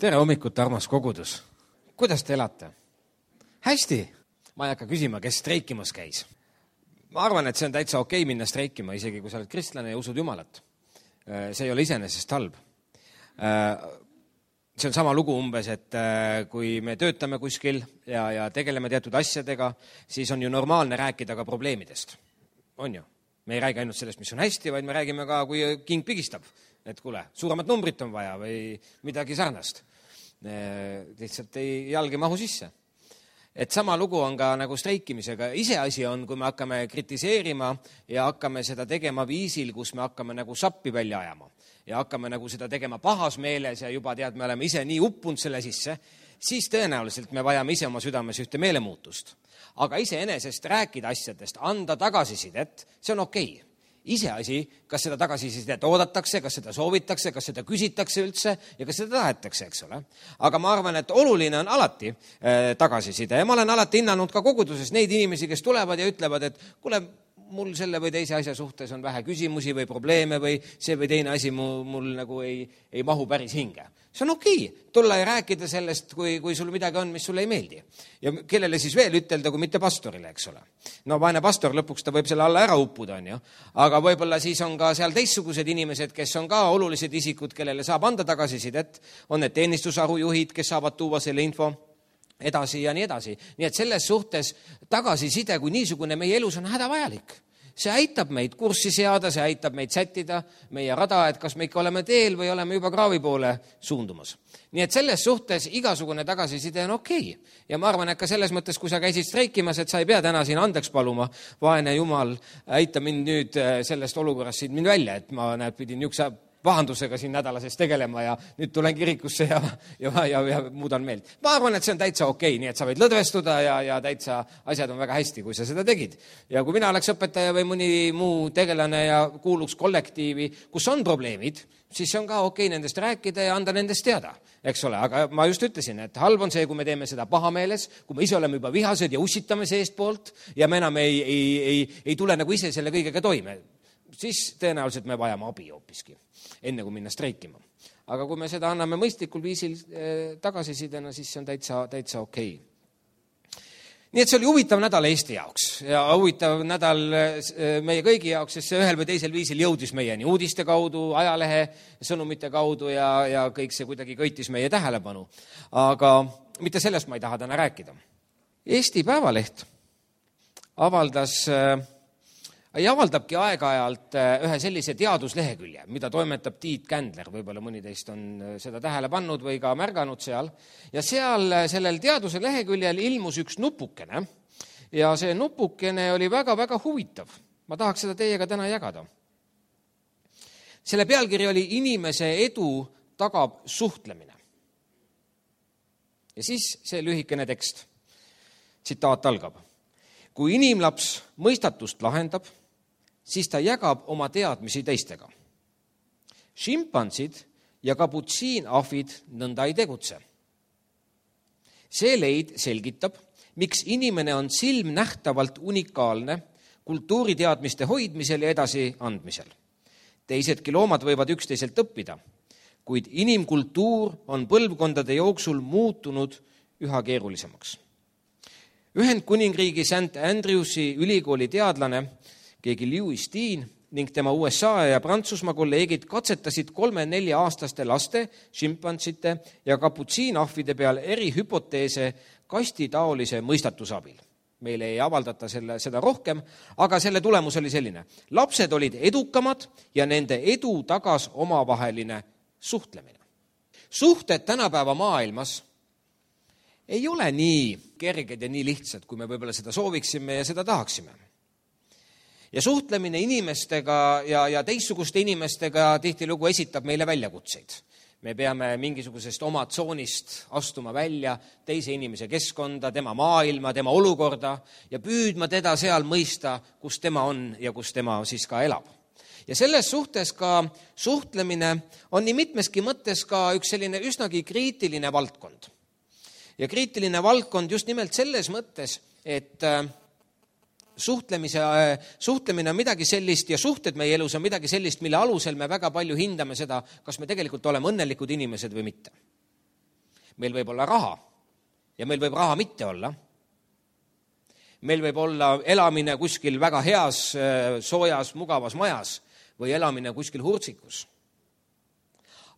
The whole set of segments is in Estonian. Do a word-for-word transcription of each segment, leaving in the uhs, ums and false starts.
Tere hommikut, armas kogudus. Kuidas te elate? Hästi. Ma ei hakka küsima, kes streikimas käis. Ma arvan, et see on täitsa okei minna streikima, isegi kui sa oled kristlane ja usud Jumalat. See ei ole iseenesest halb. See on sama lugu umbes, et kui me töötame kuskil ja, ja tegeleme teatud asjadega, siis on ju normaalne rääkida ka probleemidest. On ju? Me ei räägi ainult sellest, mis on hästi, vaid me räägime ka, kui king pigistab. Et kuule, suuremat numbrit on vaja või midagi sarnast. Lihtsalt ei jalgi mahu sisse. Et sama lugu on ka nagu streikimisega. Iseasi on, kui me hakkame kritiseerima ja hakkame seda tegema viisil, kus me hakkame nagu sappi välja ajama. Ja hakkame nagu seda tegema pahas meeles ja juba tead, me oleme ise nii uppunud selle sisse, siis tõenäoliselt me vajame ise oma südames ühte meelemuutust. Aga iseenesest rääkida asjadest, anda tagasisidet, see on okei. Iseasi, kas seda tagasisidet oodatakse, kas seda soovitakse, kas seda küsitakse üldse ja kas seda tahetakse, eks ole. Aga ma arvan, et oluline on alati äh, tagasiside ja ma olen alati hinnanud ka koguduses neid inimesi, kes tulevad ja ütlevad, et kuule, mul selle või teise asja suhtes on vähe küsimusi või probleeme või see või teine asi mul, mul nagu ei, ei mahu päris hinge. See on okei, tulla ja rääkida sellest, kui, kui sul midagi on, mis sulle ei meeldi. Ja kellele siis veel ütelda, kui mitte pastorile, eks ole. No vaene pastor lõpuks ta võib selle alla ära uppuda, on ju. Aga võib-olla siis on ka seal teistsugused inimesed, kes on ka olulised isikud, kellele saab anda tagasisidet. On need teenistusharujuhid, kes saavad tuua selle info edasi ja nii edasi. Nii et selles suhtes tagasiside kui niisugune meie elus on hädavajalik. See aitab meid kurssi seada, see aitab meid sättida meie rada, et kas me ikka oleme teel või oleme juba kraavi poole suundumas. Nii et selles suhtes igasugune tagasiside on okei. Ja ma arvan, et ka selles mõttes, kui sa käisid streikimas, et sa ei pea täna siin andeks paluma, vaene Jumal, aita mind nüüd sellest olukorrast siin mind välja, et ma näed, pidin niukse vahandusega siin nädalasest tegelema ja nüüd tulen kirikusse ja, ja, ja, ja muudan meelt. Ma arvan, et see on täitsa okei, nii et sa võid lõdvestuda ja, ja täitsa asjad on väga hästi, kui sa seda tegid. Ja kui mina oleks õpetaja või mõni muu tegelane ja kuuluks kollektiivi, kus on probleemid, siis on ka okei nendest rääkida ja anda nendest teada, eks ole. Aga ma just ütlesin, et halb on see, kui me teeme seda pahameeles, kui me ise oleme juba vihased ja ussitame seest poolt ja me enam ei, ei, ei, ei tule nagu ise selle kõigega toime. Siis tõenäoliselt me vajame abi hoopiski, enne kui minna streikima. Aga kui me seda anname mõistlikul viisil eh, tagasisidena, siis see on täitsa, täitsa okei. Nii et see oli huvitav nädal Eesti jaoks ja huvitav nädal eh, meie kõigi jaoks, sest see ühel või teisel viisil jõudis meieni uudiste kaudu, ajalehe sõnumite kaudu ja, ja kõik see kuidagi köitis meie tähelepanu. Aga mitte sellest ma ei taha täna rääkida. Eesti Päevaleht avaldas... Eh, ja avaldabki aeg-ajalt ühe sellise teaduslehekülje, mida toimetab Tiit Kändler, võib-olla mõni teist on seda tähele pannud või ka märganud seal. Ja seal sellel teaduse leheküljel ilmus üks nupukene ja see nupukene oli väga-väga huvitav. Ma tahaks seda teiega täna jagada. Selle pealkiri oli Inimese edu tagab suhtlemine. Ja siis see lühikene tekst. Tsitaat algab. Kui inimlaps mõistatust lahendab, siis ta jagab oma teadmisi teistega. Šimpansid ja kaputsiinahvid nõnda ei tegutse. See leid selgitab, miks inimene on silmnähtavalt unikaalne kultuuriteadmiste hoidmisel ja edasi andmisel. Teisedki loomad võivad üksteiselt õppida, kuid inimkultuur on põlvkondade jooksul muutunud üha keerulisemaks. Ühendkuningriigi Saint Andrewsi ülikooli teadlane keegi Lewis Dean ning tema U S A ja Prantsusmaa kolleegid katsetasid kolme-nelja aastaste laste, šimpantsite ja kaputsiinahvide peal eri hüpoteese kastitaolise mõistatusabil. Meile ei avaldata selle, seda rohkem, aga selle tulemus oli selline. Lapsed olid edukamad ja nende edu tagas omavaheline suhtlemine. Suhted tänapäeva maailmas ei ole nii kerged ja nii lihtsad, kui me võib-olla seda sooviksime ja seda tahaksime. Ja suhtlemine inimestega ja, ja teistsuguste inimestega tihtilugu esitab meile väljakutseid. Me peame mingisugusest oma tsoonist astuma välja teise inimese keskkonda, tema maailma, tema olukorda ja püüdma teda seal mõista, kus tema on ja kus tema siis ka elab. Ja selles suhtes ka suhtlemine on nii mitmeski mõttes ka üks selline üsnagi kriitiline valdkond. Ja kriitiline valdkond just nimelt selles mõttes, et suhtlemise, suhtlemine on midagi sellist ja suhted meie elus on midagi sellist, mille alusel me väga palju hindame seda, kas me tegelikult oleme õnnelikud inimesed või mitte. meil võib olla raha ja meil võib raha mitte olla. Meil võib olla elamine kuskil väga heas, soojas, mugavas majas või elamine kuskil hurtsikus.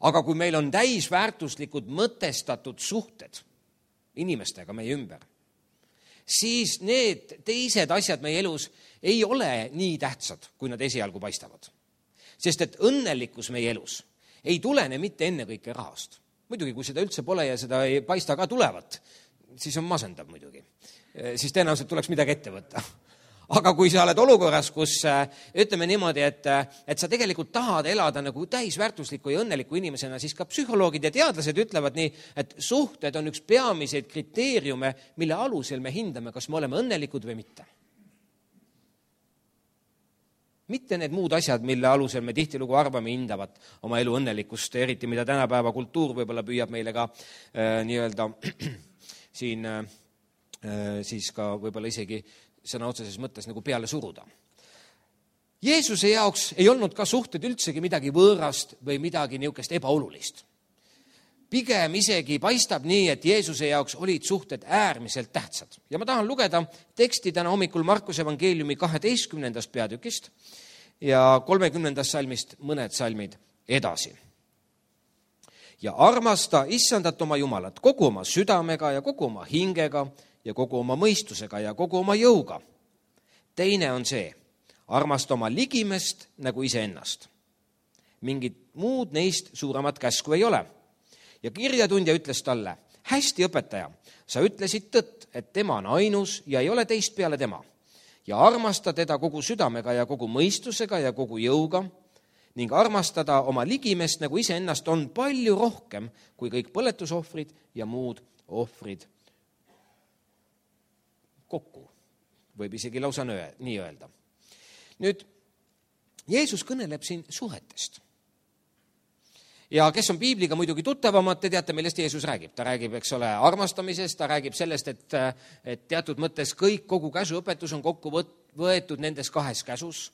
Aga kui meil on täisväärtuslikud mõtestatud suhted inimestega meie ümber, siis need teised asjad meie elus ei ole nii tähtsad, kui nad esialgu paistavad. Sest et õnnelikkus meie elus ei tulene mitte ennekõike rahast. Muidugi, kui seda üldse pole ja seda ei paista ka tulevat, siis on masendav muidugi. Siis tõenäoliselt tuleks midagi ette võtta. Aga kui sa oled olukorras, kus ütleme niimoodi, et, et sa tegelikult tahad elada nagu täisväärtusliku ja õnneliku inimesena, siis ka psühholoogid ja teadlased ütlevad nii, et suhted on üks peamiseid kriteeriume, mille alusel me hindame, kas me oleme õnnelikud või mitte. Mitte need muud asjad, mille alusel me tihtilugu arvame hindavat oma elu õnnelikkust, eriti mida tänapäeva kultuur võib-olla püüab meile ka äh, nii-öelda siin äh, siis ka võib-olla isegi sõna otseses mõttes nagu peale suruda. Jeesuse jaoks ei olnud ka suhted üldsegi midagi võõrast või midagi niisugust ebaolulist. Pigem isegi paistab nii, et Jeesuse jaoks olid suhted äärmiselt tähtsad. Ja ma tahan lugeda teksti täna hommikul Markuse evangeeliumi kaheteistkümnendast peatükist ja kolmekümnendast salmist mõned salmid edasi. Ja armasta issandat oma Jumalat kogu oma südamega ja kogu oma hingega ja kogu oma mõistusega ja kogu oma jõuga. Teine on see, armasta oma ligimest nagu iseennast. Mingit muud neist suuremat käsku ei ole. Ja kirjatundja ütles talle, hästi õpetaja, sa ütlesid tõtt, et tema on ainus ja ei ole teist peale tema. Ja armasta teda kogu südamega ja kogu mõistusega ja kogu jõuga ning armastada oma ligimest nagu iseennast on palju rohkem kui kõik põletusohvrid ja muud ohvrid kokku. Võib isegi lausa nii öelda. Nüüd, Jeesus kõneleb siin suhetest. Ja kes on piibliga muidugi tuttavamad, te teate, millest Jeesus räägib. Ta räägib, eks ole, armastamisest, ta räägib sellest, et, et teatud mõttes kõik, kogu käsuõpetus on kokku võetud nendes kahes käsus.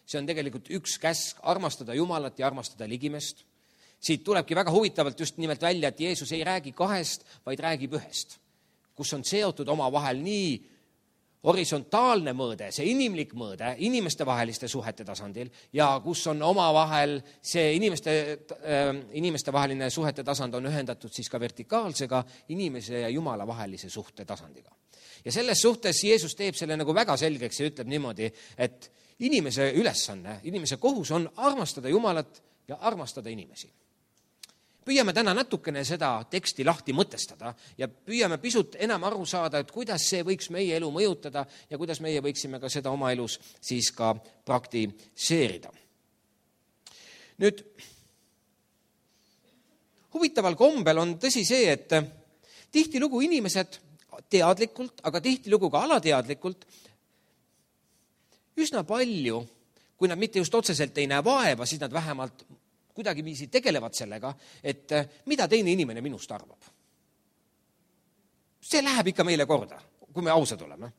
See on tegelikult üks käsk, armastada Jumalat ja armastada ligimest. Siit tulebki väga huvitavalt just nimelt välja, et Jeesus ei räägi kahest, vaid räägib ühest, kus on seotud oma vahel nii horisontaalne mõõde, see inimlik mõõde inimeste vaheliste suhete tasandil ja kus on oma vahel see inimeste, äh, inimeste vaheline suhete tasand on ühendatud siis ka vertikaalsega inimese ja Jumala vahelise suhte tasandiga. Ja selles suhtes Jeesus teeb selle nagu väga selgeks ja ütleb niimoodi, et inimese ülesanne, inimese kohus on armastada Jumalat ja armastada inimesi. Püüame täna natukene seda teksti lahti mõtestada ja püüame pisut enam aru saada, et kuidas see võiks meie elu mõjutada ja kuidas meie võiksime ka seda oma elus siis ka praktiseerida. Nüüd, huvitaval kombel on tõsi see, et tihtilugu inimesed teadlikult, aga tihtilugu ka alateadlikult üsna palju, kui nad mitte just otseselt ei näe vaeva, siis nad vähemalt kuidagi viisi tegelevad sellega, et mida teine inimene minust arvab. See läheb ikka meile korda, kui me ausad oleme.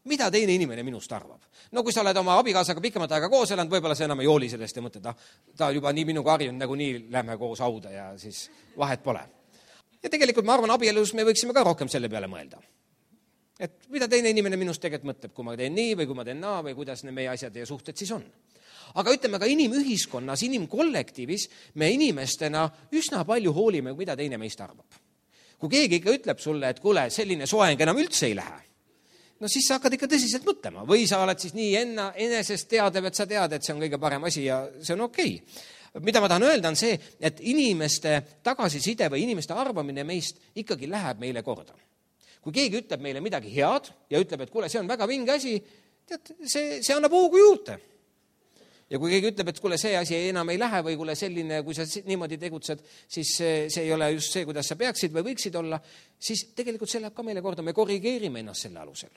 Mida teine inimene minust arvab? No kui sa oled oma abikaasaga pikemat aega koos elanud, võib-olla see enam ei hooli sellest ja mõtled, ah, ta juba nii minuga harjunud, nagu nii lähme koos hauda ja siis vahet pole. Ja tegelikult ma arvan, abielus me võiksime ka rohkem selle peale mõelda. Et mida teine inimene minust tegelikult mõtleb, kui ma teen nii või kui ma teen naa või kuidas need meie asjad ja suhted siis on. Aga ütleme ka inimühiskonnas, inimkollektiivis me inimestena üsna palju hoolime, mida teine meist arvab. Kui keegi ikka ütleb sulle, et kuule, selline soeng enam üldse ei lähe, no siis sa hakkad ikka tõsiselt mõtlema. Või sa oled siis nii enna, enesest teadev, et sa tead, et see on kõige parem asi ja see on okei. Mida ma tahan öelda on see, et inimeste tagasiside või inimeste arvamine meist ikkagi läheb meile korda. Kui keegi ütleb meile midagi head ja ütleb, et kuule, see on väga vinge asi, tead, see, see annab hoogu juurde. Ja kui keegi ütleb, et kuule, see asi enam ei lähe või kuule selline, kui sa niimoodi tegutsed, siis see, see ei ole just see, kuidas sa peaksid või võiksid olla, siis tegelikult see läheb ka meile korda, me korrigeerime ennast selle alusel.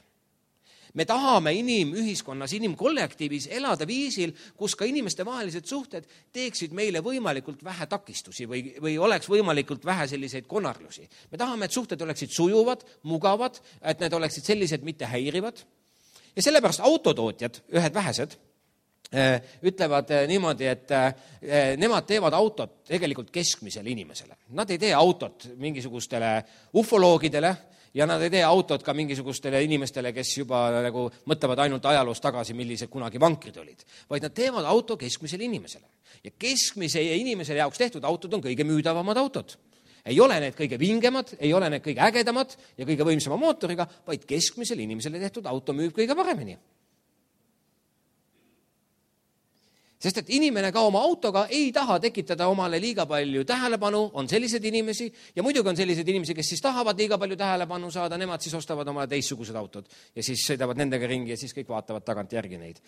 Me tahame inimühiskonnas, inimkollektiivis elada viisil, kus ka inimeste vahelised suhted teeksid meile võimalikult vähe takistusi või, või oleks võimalikult vähe selliseid konarlusi. Me tahame, et suhted oleksid sujuvad, mugavad, et need oleksid sellised mitte häirivad. Ja sellepärast autotootjad, ühed vähesed, ütlevad niimoodi, et nemad teevad autot tegelikult keskmisele inimesele. Nad ei tee autot mingisugustele ufoloogidele ja nad ei tee autot ka mingisugustele inimestele, kes juba nagu mõtlevad ainult ajaloos tagasi, millised kunagi vankrid olid, vaid nad teevad auto keskmisele inimesele. Ja keskmise inimesele jaoks tehtud autod on kõige müüdavamad autod. Ei ole need kõige vingemad, ei ole need kõige ägedamad ja kõige võimsama mootoriga, vaid keskmisele inimesele tehtud auto müüb kõige paremini. Sest et inimene ka oma autoga ei taha tekitada omale liiga palju tähelepanu, on sellised inimesi ja muidugi on sellised inimesi, kes siis tahavad liiga palju tähelepanu saada, nemad siis ostavad omale teistsugused autod ja siis sõidavad nendega ringi ja siis kõik vaatavad tagant järgi neid.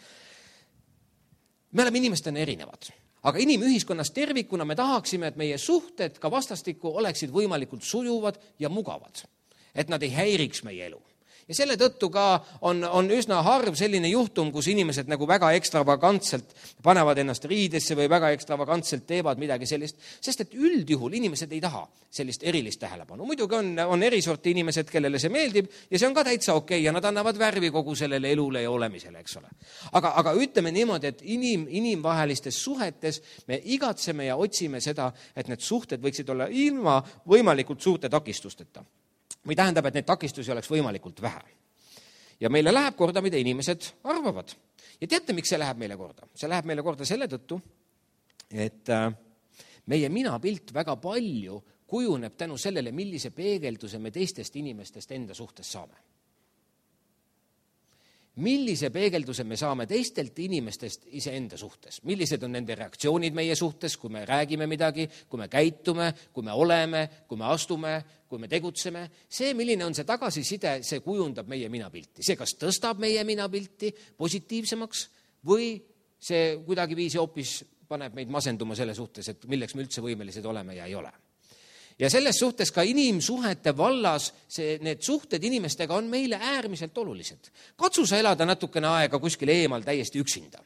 Me oleme inimestena erinevad, aga inimühiskonnas tervikuna me tahaksime, et meie suhted ka vastastikku oleksid võimalikult sujuvad ja mugavad, et nad ei häiriks meie elu. Ja selle tõttu ka on, on üsna harv selline juhtum, kus inimesed nagu väga ekstravagantselt panevad ennast riidesse või väga ekstravagantselt teevad midagi sellist, sest et üldjuhul inimesed ei taha sellist erilist tähelepanu. Muidugi on, on erisorti inimesed, kellele see meeldib ja see on ka täitsa okei ja nad annavad värvi kogu sellele elule ja olemisele, eks ole. Aga, aga ütleme niimoodi, et inim, inimvahelistes suhetes me igatseme ja otsime seda, et need suhted võiksid olla ilma võimalikult suurte takistusteta. Või tähendab, et neid takistusi oleks võimalikult vähe. Ja meile läheb korda, mida inimesed arvavad. Ja teate, miks see läheb meile korda? See läheb meile korda selle tõttu, et meie minapilt väga palju kujuneb tänu sellele, millise peegelduse me teistest inimestest enda suhtes saame. Millise peegelduse me saame teistelt inimestest iseenda suhtes? Millised on nende reaktsioonid meie suhtes, kui me räägime midagi, kui me käitume, kui me oleme, kui me astume, kui me tegutseme? See, milline on see tagasiside, see kujundab meie minapilti. See kas tõstab meie minapilti positiivsemaks või see kuidagi viisi hoopis paneb meid masenduma selle suhtes, et milleks me üldse võimelised oleme ja ei ole. Ja selles suhtes ka inimsuhete vallas see, need suhted inimestega on meile äärmiselt olulised. Katsu sa elada natukene aega kuskil eemal täiesti üksinda.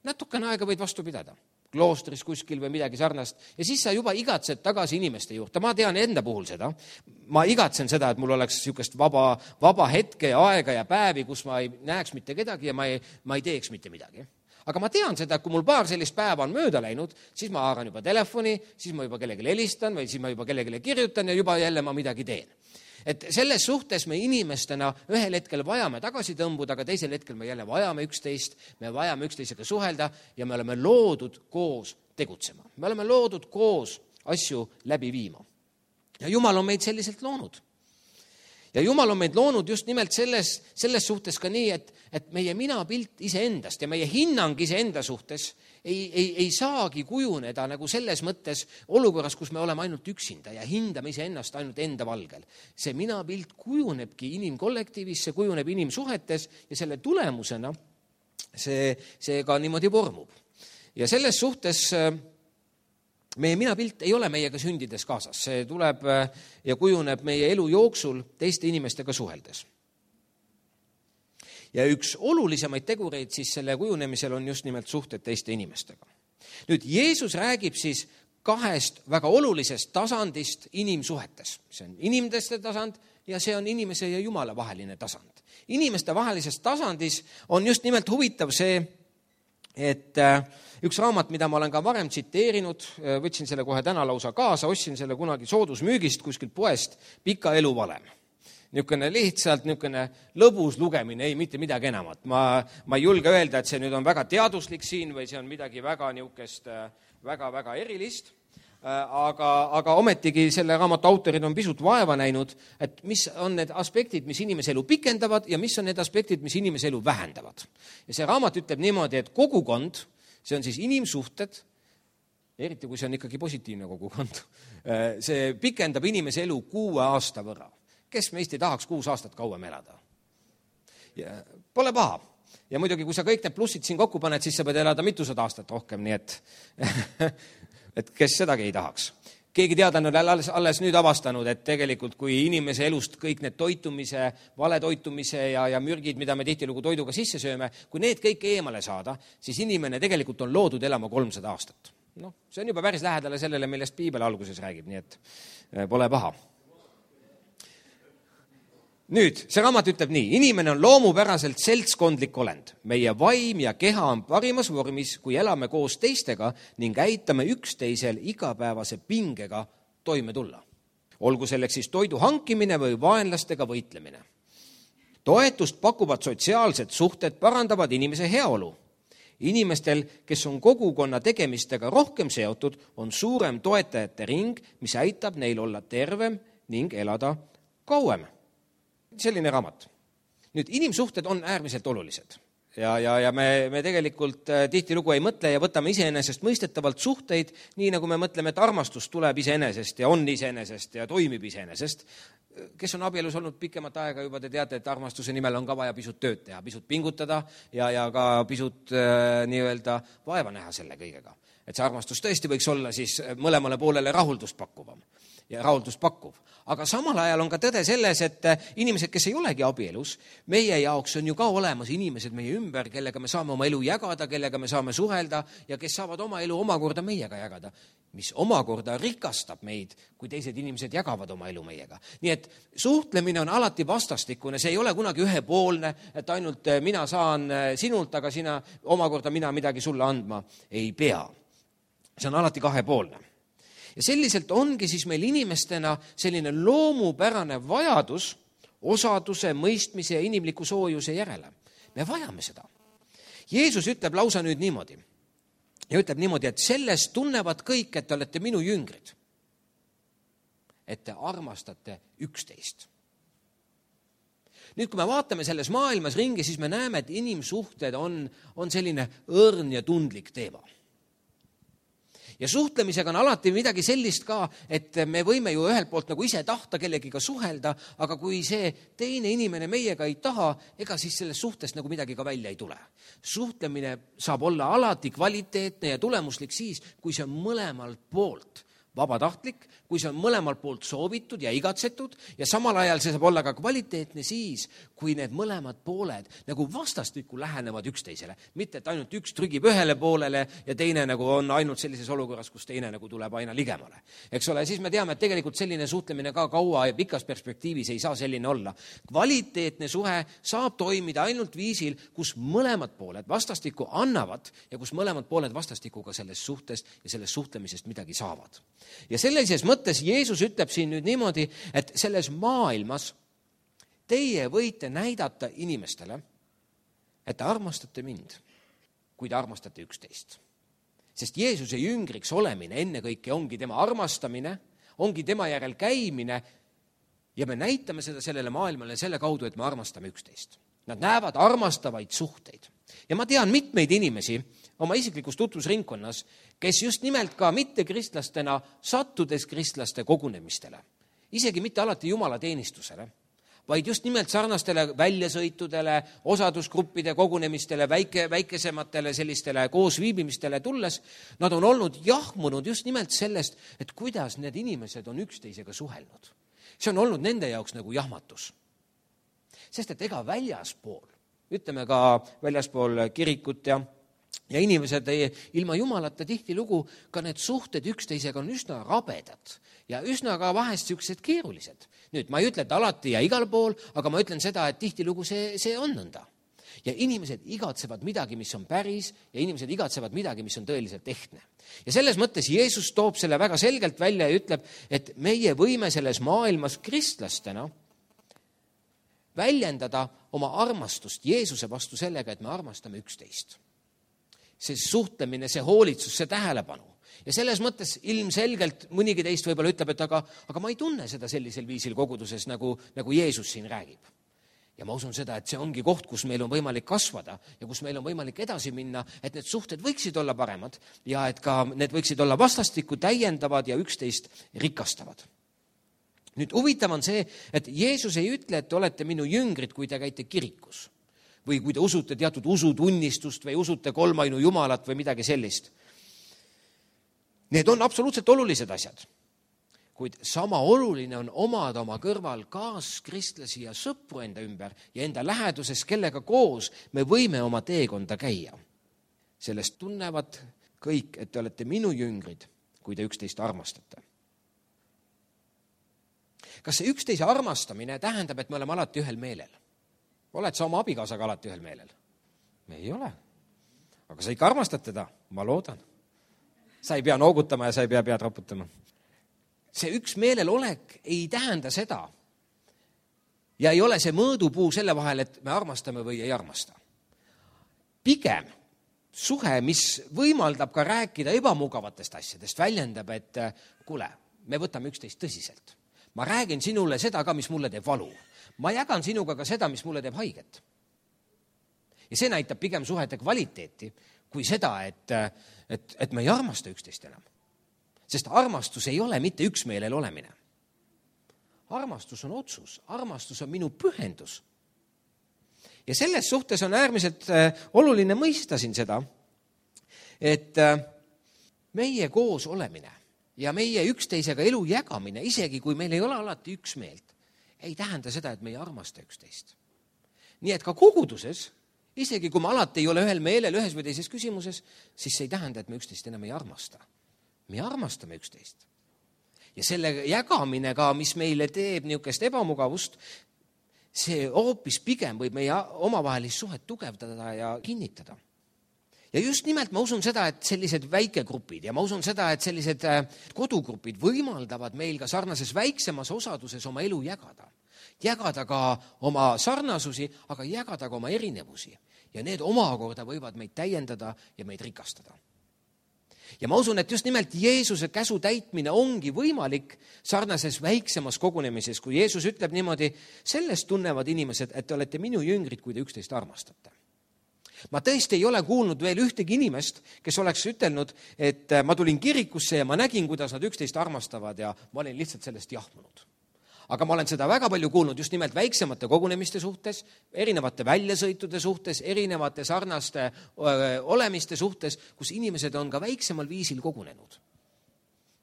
Natukene aega võid vastu pidada, kloostris kuskil või midagi sarnast, ja siis sa juba igatsed tagasi inimeste juurde. Ma tean enda puhul seda. Ma igatsen seda, et mul oleks niisugust vaba, vaba hetke ja aega ja päevi, kus ma ei näeks mitte kedagi ja ma ei, ma ei teeks mitte midagi. Aga ma tean seda, et kui mul paar sellist päeva on mööda läinud, siis ma haaran juba telefoni, siis ma juba kellelegi helistan või siis ma juba kellelegi kirjutan ja juba jälle ma midagi teen. Et selles suhtes me inimestena ühel hetkel vajame tagasi tõmbuda, aga teisel hetkel me jälle vajame üksteist, me vajame üksteisega suhelda ja me oleme loodud koos tegutsema. Me oleme loodud koos asju läbi viima. Ja Jumal on meid selliselt loonud. Ja Jumal on meid loonud just nimelt selles, selles suhtes ka nii, et, et meie minapilt iseendast ja meie hinnang iseenda suhtes ei, ei, ei saagi kujuneda nagu selles mõttes olukorras, kus me oleme ainult üksinda ja hindame iseennast ainult enda valgel. See minapilt kujunebki inimkollektiivis, see kujuneb inimsuhetes ja selle tulemusena see, see ka niimoodi vormub. Ja selles suhtes meie minapilt ei ole meiega sündides kaasas, see tuleb ja kujuneb meie elu jooksul teiste inimestega suheldes. Ja üks olulisemaid tegureid siis selle kujunemisel on just nimelt suhted teiste inimestega. Nüüd Jeesus räägib siis kahest väga olulisest tasandist inimsuhetes. See on inimeste tasand ja see on inimese ja Jumala vaheline tasand. Inimeste vahelises tasandis on just nimelt huvitav see, et üks raamat, mida ma olen ka varem tsiteerinud, võtsin selle kohe täna lausa kaasa, ostsin selle kunagi soodusmüügist kuskilt poest, Pika elu valem. Niisugune lihtsalt niisugune lõbus lugemine, ei mitte midagi enamat. Ma, ma ei julge öelda, et see nüüd on väga teaduslik siin või see on midagi väga niisugust väga-väga erilist, aga, aga ometigi selle raamatu autorid on pisut vaeva näinud, et mis on need aspektid, mis inimese elu pikendavad ja mis on need aspektid, mis inimese elu vähendavad. Ja see raamat ütleb niimoodi, et kogukond, see on siis inimsuhted, eriti kui see on ikkagi positiivne kogukond, see pikendab inimese elu kuue aasta võrra. Kes meist ei tahaks kuus aastat kauem elada? Ja pole paha. Ja muidugi, kui sa kõik need plussid siin kokku paned, siis sa pead elada mitusada aastat rohkem, nii et, et kes sedagi ei tahaks. Keegi teadlane on alles, alles nüüd avastanud, et tegelikult kui inimese elust kõik need toitumise, valetoitumise ja, ja mürgid, mida me tihtilugu toiduga sisse sööme, kui need kõik eemale saada, siis inimene tegelikult on loodud elama kolmsada aastat. No, see on juba päris lähedale sellele, millest Piibel alguses räägib, nii et pole paha. nüüd, see raamat ütleb nii, inimene on loomupäraselt seltskondlik olend. Meie vaim ja keha on parimas vormis, kui elame koos teistega ning aitame üksteisel igapäevase pingega toime tulla. Olgu selleks siis toidu hankimine või vaenlastega võitlemine. Toetust pakuvad sotsiaalsed suhted parandavad inimese heaolu. Inimestel, kes on kogukonna tegemistega rohkem seotud, on suurem toetajate ring, mis aitab neil olla tervem ning elada kauem. Selline raamat. Nüüd, inimsuhted on äärmiselt olulised. Ja, ja, ja me, me tegelikult tihtilugu ei mõtle ja võtame iseenesest mõistetavalt suhteid, nii nagu me mõtleme, et armastus tuleb iseenesest ja on iseenesest ja toimib iseenesest. Kes on abielus olnud pikemat aega, juba te teate, et armastuse nimel on ka vaja pisut tööd teha, pisut pingutada ja, ja ka pisut äh, nii-öelda vaeva näha selle kõigega. Et see armastus tõesti võiks olla siis mõlemale poolele rahuldust pakkuvam ja rahuldust pakkuv. Aga samal ajal on ka tõde selles, et inimesed, kes ei olegi abielus, meie jaoks on ju ka olemas inimesed meie ümber, kellega me saame oma elu jagada, kellega me saame suhelda ja kes saavad oma elu omakorda meiega jagada, mis omakorda rikastab meid, kui teised inimesed jagavad oma elu meiega. Nii et suhtlemine on alati vastastikune, see ei ole kunagi ühepoolne, et ainult mina saan sinult, aga sina omakorda mina midagi sulle andma ei pea. See on alati kahepoolne. Ja selliselt ongi siis meil inimestena selline loomupärane vajadus osaduse, mõistmise ja inimliku soojuse järele. Me vajame seda. Jeesus ütleb lausa nüüd niimoodi. Ja ütleb niimoodi, et sellest tunnevad kõik, et te olete minu jüngrid. Et te armastate üksteist. Nüüd, kui me vaatame selles maailmas ringi, siis me näeme, et inimsuhted on, on selline õrn ja tundlik teema. Ja suhtlemisega on alati midagi sellist ka, et me võime ju ühelt poolt nagu ise tahta kellegiga suhelda, aga kui see teine inimene meiega ei taha, ega siis sellest suhtest nagu midagi ka välja ei tule. Suhtlemine saab olla alati kvaliteetne ja tulemuslik siis, kui see on mõlemalt poolt vabatahtlik, kui see on mõlemalt poolt soovitud ja igatsetud ja samal ajal see saab olla ka kvaliteetne siis, kui need mõlemad pooled nagu vastastikku lähenevad üksteisele. Mitte, et ainult üks trügib ühele poolele ja teine nagu on ainult sellises olukorras, kus teine nagu tuleb aina ligemale. Eks ole, siis me teame, et tegelikult selline suhtlemine ka kaua ja pikas perspektiivis ei saa selline olla. Kvaliteetne suhe saab toimida ainult viisil, kus mõlemad pooled vastastikku annavad ja kus mõlemad pooled vastastikku ka sellest suhtest ja sellest suhtlemisest midagi saavad. Ja sellises mõttes Jeesus ütleb siin nüüd niimoodi, et selles maailmas teie võite näidata inimestele, et te armastate mind, kui te armastate üksteist. Sest Jeesuse jüngriks olemine ennekõike ongi tema armastamine, ongi tema järel käimine ja me näitame seda sellele maailmale selle kaudu, et me armastame üksteist. Nad näevad armastavaid suhteid. Ja ma tean mitmeid inimesi oma isiklikus tutvusringkonnas, kes just nimelt ka mitte kristlastena sattudes kristlaste kogunemistele, isegi mitte alati Jumala teenistusele, vaid just nimelt sarnastele väljasõitudele, osadusgruppide kogunemistele, väike, väikesematele sellistele koosviibimistele tulles, nad on olnud jahmunud just nimelt sellest, et kuidas need inimesed on üksteisega suhelnud. See on olnud nende jaoks nagu jahmatus. Sest et ega väljaspool, ütleme ka väljaspool kirikut ja, ja inimesed ei, ilma Jumalata tihtilugu, ka need suhted üksteisega on üsna rabedad ja üsna ka vahest siuksed keerulised. Nüüd ma ei ütle, et alati ja igal pool, aga ma ütlen seda, et tihtilugu see, see on nõnda. Ja inimesed igatsevad midagi, mis on päris ja inimesed igatsevad midagi, mis on tõeliselt ehtne. Ja selles mõttes Jeesus toob selle väga selgelt välja ja ütleb, et meie võime selles maailmas kristlastena väljendada oma armastust Jeesuse vastu sellega, et me armastame üksteist. See suhtlemine, see hoolitsus, see tähelepanu. Ja selles mõttes ilmselgelt mõnigi teist võib-olla ütleb, et aga, aga ma ei tunne seda sellisel viisil koguduses, nagu, nagu Jeesus siin räägib. Ja ma usun seda, et see ongi koht, kus meil on võimalik kasvada ja kus meil on võimalik edasi minna, et need suhted võiksid olla paremad ja et ka need võiksid olla vastastikku täiendavad ja üksteist rikastavad. Nüüd huvitav on see, et Jeesus ei ütle, et te olete minu jüngrid, kui te käite kirikus või kui te usute teatud usutunnistust või usute kolmainu Jumalat või midagi sellist. Need on absoluutselt olulised asjad, kuid sama oluline on omada oma kõrval kaaskristlasi ja sõpru enda ümber ja enda läheduses, kellega koos me võime oma teekonda käia. Sellest tunnevad kõik, et te olete minu jüngrid, kui te üksteist armastate. kas see üksteise armastamine tähendab, et me oleme alati ühel meelel? Oled sa oma abikaasaga alati ühel meelel? Me ei ole. Aga sa ikka armastad teda? Ma loodan. Sa ei pea noogutama ja sa ei pea pead raputama. See üks meelel olek ei tähenda seda ja ei ole see mõõdupuu selle vahel, et me armastame või ei armasta. Pigem suhe, mis võimaldab ka rääkida ebamugavatest asjadest, väljendab, et kuule, me võtame üksteist tõsiselt. Ma räägin sinule seda ka, mis mulle teeb valu. Ma jagan sinuga ka seda, mis mulle teeb haiget. Ja see näitab pigem suhete kvaliteeti kui seda, et, et, et me ei armasta üksteist enam. Sest armastus ei ole mitte üksmeelel olemine. Armastus on otsus, armastus on minu pühendus. Ja selles suhtes on äärmiselt oluline mõista siin seda, et meie koos olemine ja meie üksteisega elu jagamine, isegi kui meil ei ole alati üksmeelt, ei tähenda seda, et me ei armasta üksteist. Nii et ka koguduses, isegi kui me alati ei ole ühel meelel ühes või teises küsimuses, siis see ei tähenda, et me üksteist enam ei armasta. Me armastame üksteist. Ja selle jagamine ka, mis meile teeb niisugust ebamugavust, see hoopis pigem võib meie omavahelist suhet tugevdada ja kinnitada. Ja just nimelt ma usun seda, et sellised väikegrupid ja ma usun seda, et sellised kodugrupid võimaldavad meil ka sarnases väiksemas osaduses oma elu jagada. Jagada ka oma sarnasusi, aga jagada ka oma erinevusi. Ja need omakorda võivad meid täiendada ja meid rikastada. Ja ma usun, et just nimelt Jeesuse käsu täitmine ongi võimalik sarnases väiksemas kogunemises, kui Jeesus ütleb niimoodi, sellest tunnevad inimesed, et te olete minu jüngrid, kui te üksteist armastate. Ma tõesti ei ole kuulnud veel ühtegi inimest, kes oleks ütelnud, et ma tulin kirikusse ja ma nägin, kuidas nad üksteist armastavad ja ma olin lihtsalt sellest jahmunud. Aga ma olen seda väga palju kuulnud just nimelt väiksemate kogunemiste suhtes, erinevate väljasõitude suhtes, erinevate sarnaste öö, olemiste suhtes, kus inimesed on ka väiksemal viisil kogunenud.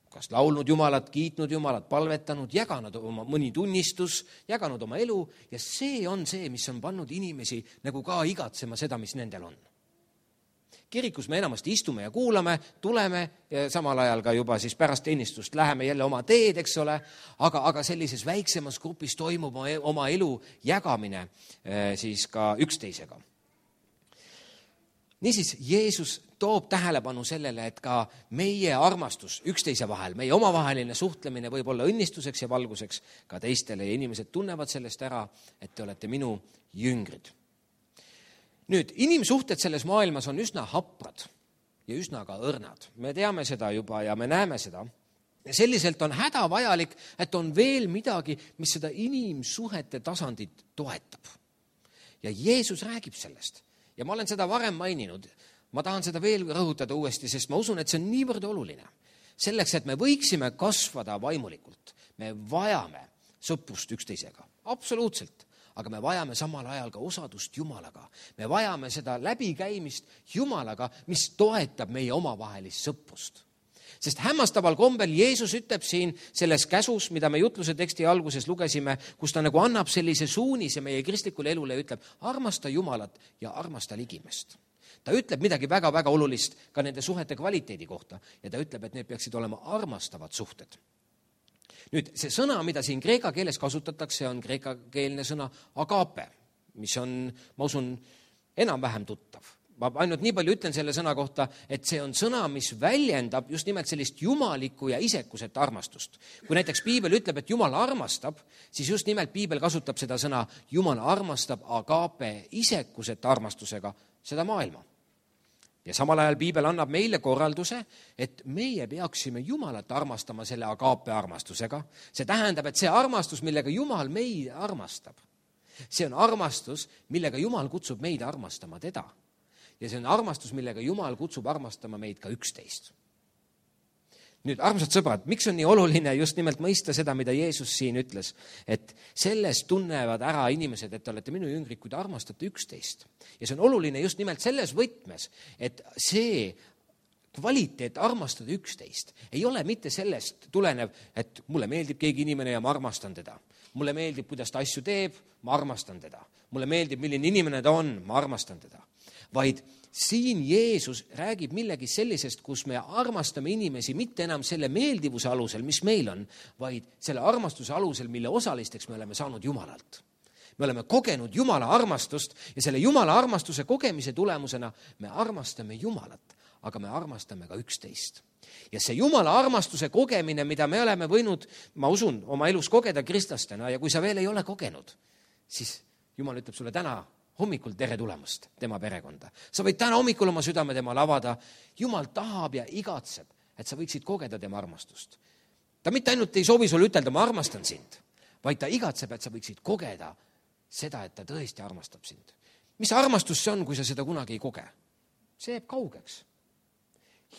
Kas laulnud Jumalat, kiitnud Jumalat, palvetanud, jaganud oma mõni tunnistus, jaganud oma elu ja see on see, mis on pannud inimesi nagu ka igatsema seda, mis nendel on. Kirikus me enamasti istume ja kuulame, tuleme ja samal ajal ka juba siis pärast teenistust läheme jälle oma teed, eks ole, aga, aga sellises väiksemas grupis toimub oma elu jagamine siis ka üksteisega. Niisiis, Jeesus toob tähelepanu sellele, et ka meie armastus üksteise vahel, meie omavaheline suhtlemine võib olla õnnistuseks ja valguseks ka teistele ja inimesed tunnevad sellest ära, et te olete minu jüngrid. Nüüd, inimsuhted selles maailmas on üsna haprad ja üsna ka õrnad. Me teame seda juba ja me näeme seda. Ja selliselt on hädavajalik, et on veel midagi, mis seda inimsuhete tasandit toetab. Ja Jeesus räägib sellest. Ja ma olen seda varem maininud. Ma tahan seda veel rõhutada uuesti, sest ma usun, et see on niivõrd oluline. Selleks, et me võiksime kasvada vaimulikult, me vajame sõprust üksteisega. Absoluutselt. Aga me vajame samal ajal ka osadust Jumalaga. Me vajame seda läbikäimist Jumalaga, mis toetab meie omavahelist sõprust. Sest hämmastaval kombel Jeesus ütleb siin selles käsus, mida me jutluse teksti alguses lugesime, kus ta nagu annab sellise suunise meie kristlikule elule ja ütleb, armasta Jumalat ja armasta ligimest. Ta ütleb midagi väga-väga olulist ka nende suhete kvaliteedi kohta ja ta ütleb, et need peaksid olema armastavad suhted. Nüüd, see sõna, mida siin kreeka keeles kasutatakse, on kreekakeelne sõna agape, mis on, ma usun, enam-vähem tuttav. Ma ainult nii palju ütlen selle sõna kohta, et see on sõna, mis väljendab just nimelt sellist jumalikku ja isekuset armastust. Kui näiteks Piibel ütleb, et Jumal armastab, siis just nimelt Piibel kasutab seda sõna, Jumal armastab agape isekuset armastusega seda maailma. Ja samal ajal Piibel annab meile korralduse, et meie peaksime Jumalat armastama selle agape armastusega. See tähendab, et see armastus, millega Jumal meid armastab, see on armastus, millega Jumal kutsub meid armastama teda. Ja see on armastus, millega Jumal kutsub armastama meid ka üksteist. Nüüd, armsad sõbrad, miks on nii oluline just nimelt mõista seda, mida Jeesus siin ütles, et sellest tunnevad ära inimesed, et te olete minu jüngrid, kui te armastate üksteist. Ja see on oluline just nimelt selles võtmes, et see kvaliteet armastada üksteist ei ole mitte sellest tulenev, et mulle meeldib keegi inimene ja ma armastan teda. Mulle meeldib, kuidas ta asju teeb, ma armastan teda. Mulle meeldib, milline inimene ta on, ma armastan teda. Vaid siin Jeesus räägib millegi sellisest, kus me armastame inimesi mitte enam selle meeldivuse alusel, mis meil on, vaid selle armastuse alusel, mille osalisteks me oleme saanud Jumalalt. Me oleme kogenud Jumala armastust ja selle Jumala armastuse kogemise tulemusena me armastame Jumalat, aga me armastame ka üksteist. Ja see Jumala armastuse kogemine, mida me oleme võinud, ma usun, oma elus kogeda kristlastena, ja kui sa veel ei ole kogenud, siis Jumal ütleb sulle täna hommikul tere tulemast tema perekonda. Sa võid täna hommikul oma südame temale avada. Jumal tahab ja igatseb, et sa võiksid kogeda tema armastust. Ta mitte ainult ei soovi sulle ütelda, ma armastan sind, vaid ta igatseb, et sa võiksid kogeda seda, et ta tõesti armastab sind. Mis armastus see on, kui sa seda kunagi ei koge? See jääb kaugeks.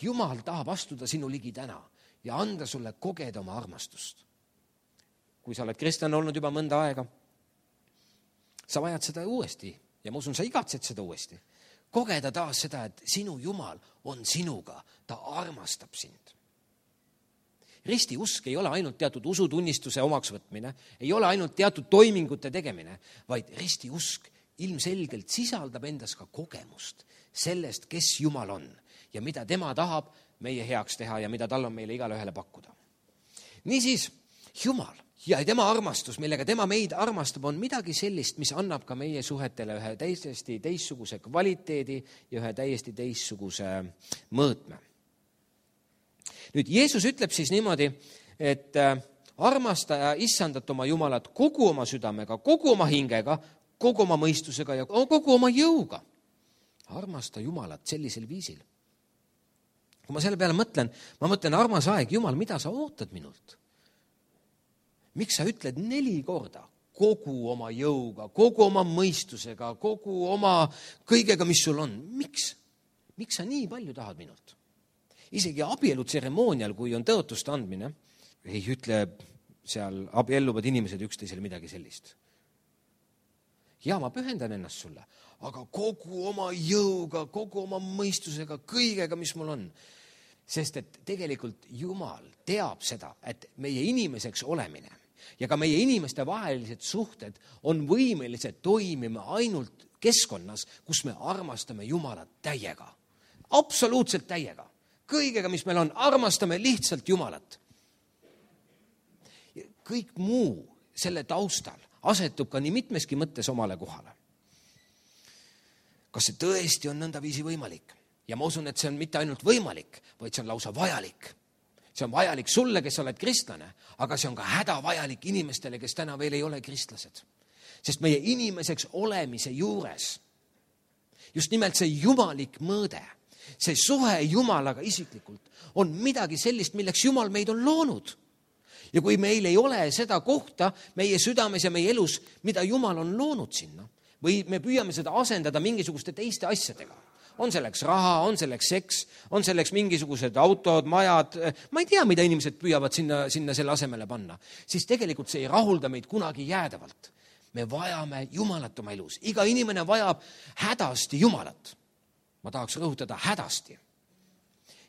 Jumal tahab astuda sinu ligi täna ja anda sulle kogeda oma armastust. Kui sa oled kristlane olnud juba mõnda aega, sa vajad seda uuesti ja ma usun, sa igatsed seda uuesti. Kogeda taas seda, et sinu Jumal on sinuga, ta armastab sind. Risti usk ei ole ainult teatud usutunnistuse omaksvõtmine, ei ole ainult teatud toimingute tegemine, vaid risti usk ilmselgelt sisaldab endas ka kogemust sellest, kes Jumal on ja mida tema tahab meie heaks teha ja mida tal on meile igale ühele pakkuda. Niisiis, Jumal ja tema armastus, millega tema meid armastab, on midagi sellist, mis annab ka meie suhetele ühe täiesti teistsuguse kvaliteedi ja ühe täiesti teistsuguse mõõtme. Nüüd Jeesus ütleb siis niimoodi, et armasta ja issandat oma Jumalat kogu oma südamega, kogu oma hingega, kogu oma mõistusega ja kogu oma jõuga. Armasta Jumalat sellisel viisil. Kui ma selle peale mõtlen, ma mõtlen, armas aeg, Jumal, mida sa ootad minult? Miks sa ütled neli korda kogu oma jõuga, kogu oma mõistusega, kogu oma kõigega, mis sul on? Miks? Miks sa nii palju tahad minult? Isegi abielutseremoonial, kui on tõotuste andmine, ei ütle seal abielluvad inimesed üksteisele midagi sellist. Ja ma pühendan ennast sulle, aga kogu oma jõuga, kogu oma mõistusega, kõigega, mis mul on. Sest et tegelikult Jumal teab seda, et meie inimeseks olemine ja ka meie inimeste vahelised suhted on võimelised toimima ainult keskkonnas, kus me armastame Jumalat täiega. Absoluutselt täiega. Kõigega, mis meil on, armastame lihtsalt Jumalat. Kõik muu selle taustal asetub ka nii mitmeski mõttes omale kohale. Kas see tõesti on nõndaviisi võimalik? Ja ma usun, et see on mitte ainult võimalik, vaid see on lausa vajalik. See on vajalik sulle, kes oled kristlane, aga see on ka hädavajalik inimestele, kes täna veel ei ole kristlased. Sest meie inimeseks olemise juures, just nimelt see jumalik mõõde, see suhe Jumalaga isiklikult on midagi sellist, milleks Jumal meid on loonud. Ja kui meil ei ole seda kohta meie südames ja meie elus, mida Jumal on loonud sinna, või me püüame seda asendada mingisuguste teiste asjadega, on selleks raha, on selleks seks, on selleks mingisugused autod, majad, ma ei tea, mida inimesed püüavad sinna, sinna selle asemele panna, siis tegelikult see ei rahulda meid kunagi jäädavalt. Me vajame Jumalat oma elus. Iga inimene vajab hädasti Jumalat. Ma tahaks rõhutada hädasti.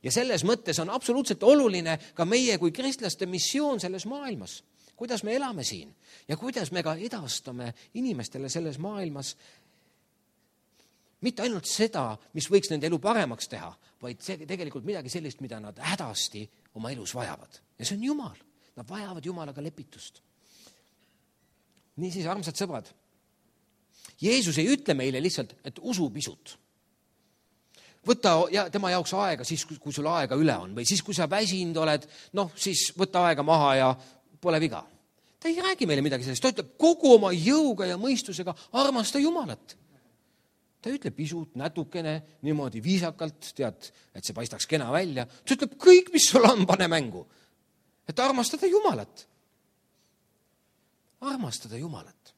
Ja selles mõttes on absoluutselt oluline ka meie kui kristlaste missioon selles maailmas. Kuidas me elame siin ja kuidas me ka edastame inimestele selles maailmas mitte ainult seda, mis võiks nende elu paremaks teha, vaid see tegelikult midagi sellist, mida nad hädasti oma elus vajavad. Ja see on Jumal. Nad vajavad Jumalaga lepitust. Niisiis, armsad sõbrad, Jeesus ei ütle meile lihtsalt, et usu pisut. Võta ja tema jaoks aega siis, kui sul aega üle on, või siis, kui sa väsinud oled, noh, siis võta aega maha ja pole viga. Ta ei räägi meile midagi sellest, ta ütleb kogu oma jõuga ja mõistusega armasta Jumalat. Ta ütleb pisut, natukene, niimoodi viisakalt, tead, et see paistaks kena välja. Ta ütleb kõik, mis sul on, pane mängu. Et armastada Jumalat. Armastada Jumalat.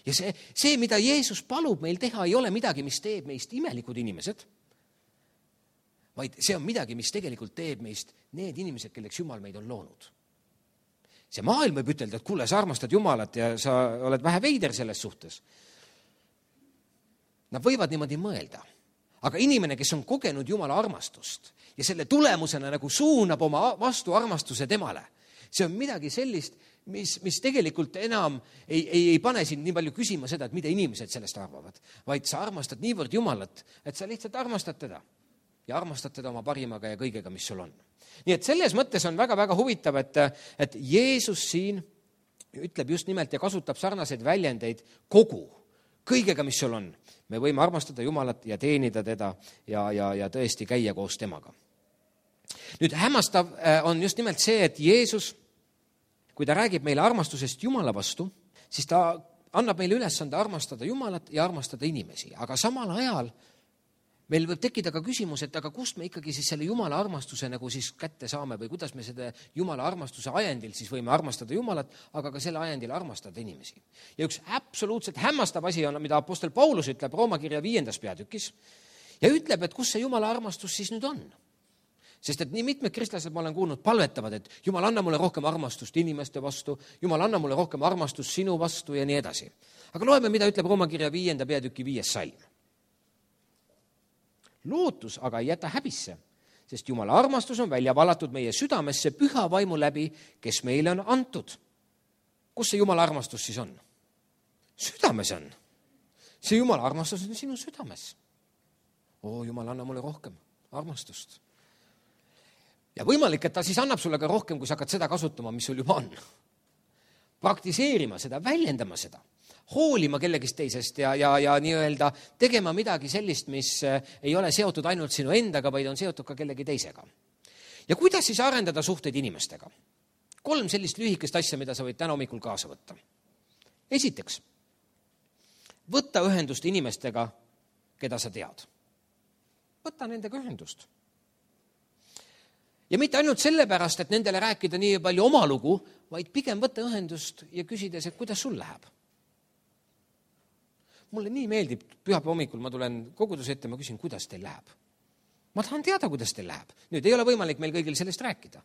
Ja see, see, mida Jeesus palub meil teha, ei ole midagi, mis teeb meist imelikud inimesed, vaid see on midagi, mis tegelikult teeb meist need inimesed, kelleks Jumal meid on loonud. See maailm võib ütelda, et kuule, sa armastad Jumalat ja sa oled vähe veider selles suhtes. Nad võivad niimoodi mõelda. Aga inimene, kes on kogenud Jumala armastust ja selle tulemusena nagu suunab oma vastu armastuse temale, see on midagi sellist, mis, mis tegelikult enam ei, ei, ei pane sind nii palju küsima seda, et mida inimesed sellest arvavad, vaid sa armastad niivõrd Jumalat, et sa lihtsalt armastad teda ja armastad teda oma parimaga ja kõigega, mis sul on. Nii et selles mõttes on väga-väga huvitav, et, et Jeesus siin ütleb just nimelt ja kasutab sarnaseid väljendeid kogu, kõigega, mis sul on. Me võime armastada Jumalat ja teenida teda ja, ja, ja tõesti käia koos temaga. Nüüd hämmastav on just nimelt see, et Jeesus, kui ta räägib meile armastusest Jumala vastu, siis ta annab meile ülesande armastada Jumalat ja armastada inimesi, aga samal ajal meil võib tekkida ka küsimus, et aga kust me ikkagi siis selle Jumala armastuse nagu siis kätte saame või kuidas me seda Jumala armastuse ajendil siis võime armastada Jumalat, aga ka selle ajendil armastada inimesi. Ja üks absoluutselt hämmastav asi on, mida apostel Paulus ütleb Rooma kirja viiendas peatükis ja ütleb, et kus see Jumala armastus siis nüüd on. Sest et nii mitmed kristlased, ma olen kuulnud, palvetavad, et Jumal, anna mulle rohkem armastust inimeste vastu, Jumal, anna mulle rohkem armastust sinu vastu ja nii edasi. Aga loeme, mida ütleb Rooma kirja viienda peatüki viies salm. Lootus aga ei jäta häbisse, sest Jumala armastus on välja valatud meie südamesse püha vaimu läbi, kes meile on antud. Kus see Jumala armastus siis on? Südames on. See Jumala armastus on sinu südames. Oo, Jumal, anna mulle rohkem armastust. Ja võimalik, et ta siis annab sulle ka rohkem, kui sa hakkad seda kasutama, mis sul juba on. Praktiseerima seda, väljendama seda. Hoolima kellegist teisest ja, ja, ja nii-öelda tegema midagi sellist, mis ei ole seotud ainult sinu endaga, vaid on seotud ka kellegi teisega. Ja kuidas siis arendada suhteid inimestega? Kolm sellist lühikest asja, mida sa võid täna hommikul kaasa võtta. Esiteks, võtta ühendust inimestega, keda sa tead. Võtta nendega ühendust. Ja mitte ainult sellepärast, et nendele rääkida nii palju oma lugu, vaid pigem võtta ühendust ja küsides, et kuidas sul läheb. Mulle nii meeldib, pühapäeva hommikul ma tulen koguduse ette, ma küsin, kuidas teil läheb. Ma tahan teada, kuidas teil läheb. Nüüd ei ole võimalik meil kõigil sellest rääkida.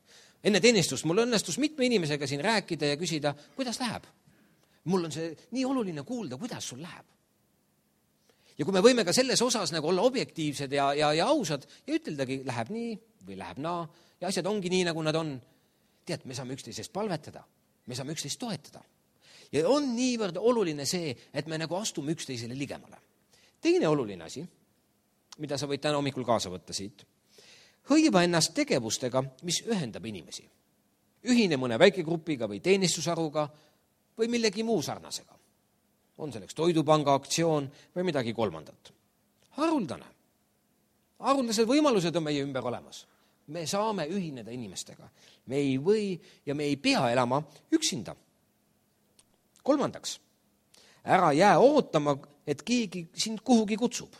Enne teenistust mul õnnestus mitme inimesega siin rääkida ja küsida, kuidas läheb. Mul on see nii oluline kuulda, kuidas sul läheb. Ja kui me võime ka selles osas nagu olla objektiivsed ja, ja, ja ausad ja üteldagi, läheb nii või läheb naa ja asjad ongi nii, nagu nad on. Tead, me saame üksteisest palvetada, me saame üksteist toetada. Ja on niivõrd oluline see, et me nagu astume üksteisele ligemale. Teine oluline asi, mida sa võid täna hommikul kaasa võtta siit, hõiva ennast tegevustega, mis ühendab inimesi. Ühine mõne väikegrupiga või teenistusharuga või millegi muu sarnasega. On selleks toidupanga aktsioon või midagi kolmandat. Haruldane. Haruldased võimalused on meie ümber olemas. Me saame ühineda inimestega. Me ei või ja me ei pea elama üksinda. Kolmandaks, ära jää ootama, et keegi sind kuhugi kutsub.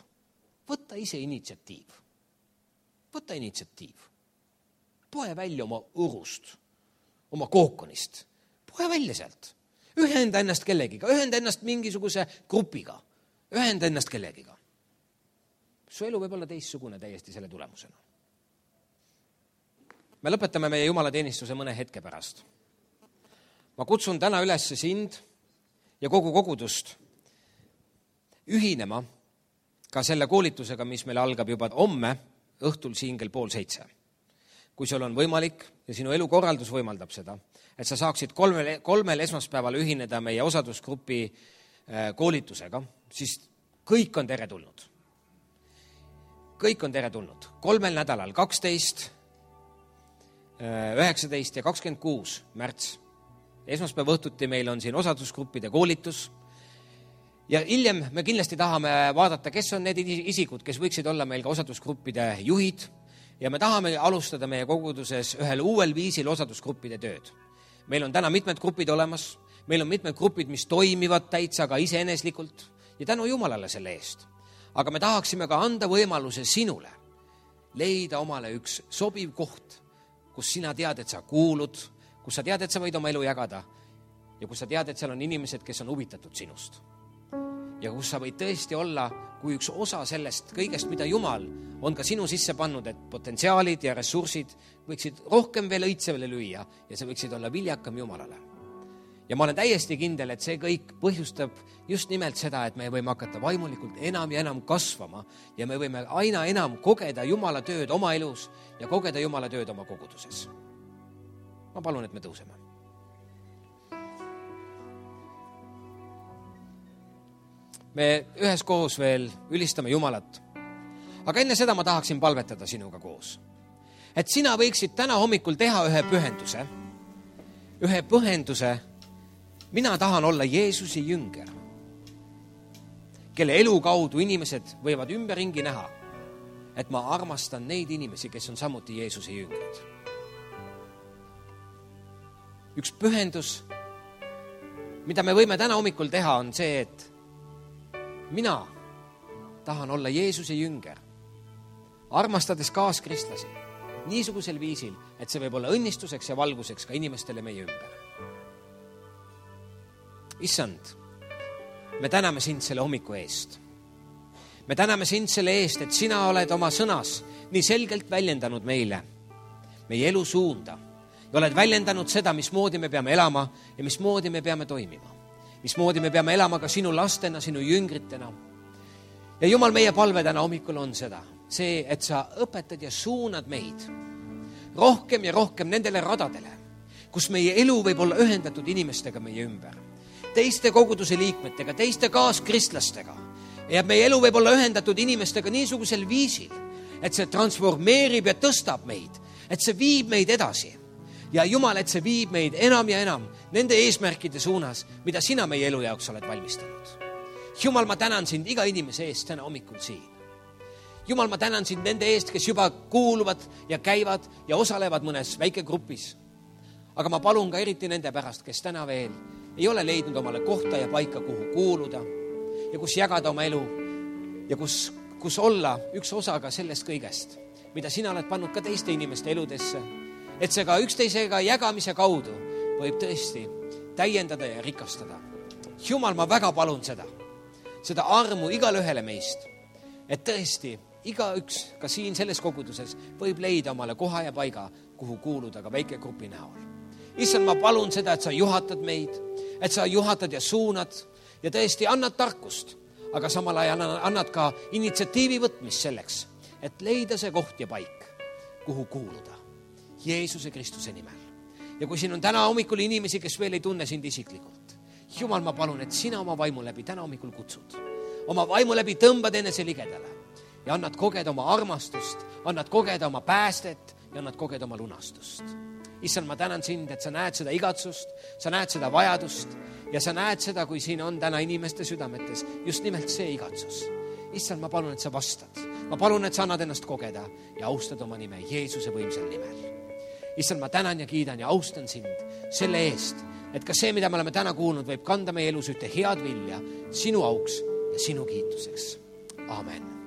Võta ise initsiatiiv. Võta initsiatiiv. Poe välja oma õrust, oma kookonist. Poe välja sealt. Ühenda ennast kellegiga, ühenda ennast mingisuguse grupiga, ühenda ennast kellegiga. Su elu võib olla teistsugune täiesti selle tulemusena. Me lõpetame meie Jumala teenistuse mõne hetke pärast. Ma kutsun täna üles sind ja kogu kogudust ühinema ka selle koolitusega, mis meil algab juba homme õhtul siin kell pool seitse. Kui sul on võimalik ja sinu elukorraldus võimaldab seda, et sa saaksid kolmel, kolmel esmaspäeval ühineda meie osadusgrupi koolitusega, siis kõik on teretulnud. Kõik on teretulnud. Kolmel nädalal, kaksteist, üheksateist ja kakskümmend kuus märts. Esmaspäeva õhtuti meil on siin osadusgruppide koolitus ja hiljem me kindlasti tahame vaadata, kes on need isikud, kes võiksid olla meil ka osadusgruppide juhid ja me tahame alustada meie koguduses ühel uuel viisil osadusgruppide tööd. Meil on täna mitmed grupid olemas, meil on mitmed grupid, mis toimivad täitsa ka iseeneslikult ja tänu Jumalale selle eest. Aga me tahaksime ka anda võimaluse sinule leida omale üks sobiv koht, kus sina tead, et sa kuulud, kus sa tead, et sa võid oma elu jagada ja kus sa tead, et seal on inimesed, kes on huvitatud sinust. Ja kus sa võid tõesti olla kui üks osa sellest kõigest, mida Jumal on ka sinu sisse pannud, et potentsiaalid ja ressursid võiksid rohkem veel õitsevele lüüa ja sa võiksid olla viljakam Jumalale. Ja ma olen täiesti kindel, et see kõik põhjustab just nimelt seda, et me võime hakata vaimulikult enam ja enam kasvama ja me võime aina enam kogeda Jumala tööd oma elus ja kogeda Jumala tööd oma koguduses. Ma palun, et me tõuseme. me üheskoos veel ülistame Jumalat. Aga enne seda ma tahaksin palvetada sinuga koos. Et sina võiksid täna hommikul teha ühe pühenduse. Ühe pühenduse. Mina tahan olla Jeesuse jünger, kelle elu kaudu inimesed võivad ümberringi näha, et ma armastan neid inimesi, kes on samuti Jeesuse jüngrid. Üks pühendus, mida me võime täna hommikul teha, on see, et mina tahan olla Jeesuse jünger, armastades kaaskristlasi niisugusel viisil, et see võib olla õnnistuseks ja valguseks ka inimestele meie ümber. Issand, me täname sind selle hommiku eest. Me täname sind selle eest, et sina oled oma sõnas nii selgelt väljendanud meile meie elu suunda ja oled väljendanud seda, mismoodi me peame elama ja mismoodi me peame toimima. Mismoodi me peame elama ka sinu lastena, sinu jüngritena. Ja Jumal, meie palve täna hommikul on seda, see, et sa õpetad ja suunad meid rohkem ja rohkem nendele radadele, kus meie elu võib olla ühendatud inimestega meie ümber, teiste koguduse liikmetega, teiste kaaskristlastega. Ja meie elu võib olla ühendatud inimestega niisugusel viisil, et see transformeerib ja tõstab meid, et see viib meid edasi. Ja Jumal, et see viib meid enam ja enam nende eesmärkide suunas, mida sina meie elu jaoks oled valmistanud. Jumal, ma tänan sind iga inimese eest täna hommikul siin. Jumal, ma tänan sind nende eest, kes juba kuuluvad ja käivad ja osalevad mõnes väikegrupis. Aga ma palun ka eriti nende pärast, kes täna veel ei ole leidnud omale kohta ja paika, kuhu kuuluda ja kus jagada oma elu ja kus, kus olla üks osa ka sellest kõigest, mida sina oled pannud ka teiste inimeste eludesse, et see ka üksteisega jagamise kaudu võib tõesti täiendada ja rikastada. Jumal, ma väga palun seda, seda armu igale ühele meist, et tõesti igaüks ka siin selles koguduses võib leida omale koha ja paiga, kuhu kuuluda ka väike grupi näol. Issand, ma palun seda, et sa juhatad meid, et sa juhatad ja suunad ja tõesti annad tarkust, aga samal ajal annad ka initsiatiivi võtmist selleks, et leida see koht ja paik, kuhu kuuluda Jeesuse Kristuse nimel. Ja kui siin on täna hommikul inimesi, kes veel ei tunne sind isiklikult, Jumal, ma palun, et sina oma vaimu läbi täna hommikul kutsud. Oma vaimu läbi tõmbad enese ligedale ja annad kogeda oma armastust, annad kogeda oma päästet ja annad kogeda oma lunastust. Issand, ma tänan sind, et sa näed seda igatsust, sa näed seda vajadust ja sa näed seda, kui siin on täna inimeste südametes just nimelt see igatsus. Issand, ma palun, et sa vastad. Ma palun, et sa annad ennast kogeda ja austad oma nime Jeesuse võimsal nimel. Issand, ma tänan ja kiidan ja austan sind selle eest, et ka see, mida me oleme täna kuulnud, võib kanda meie elus ühte head vilja sinu auks ja sinu kiituseks. Amen.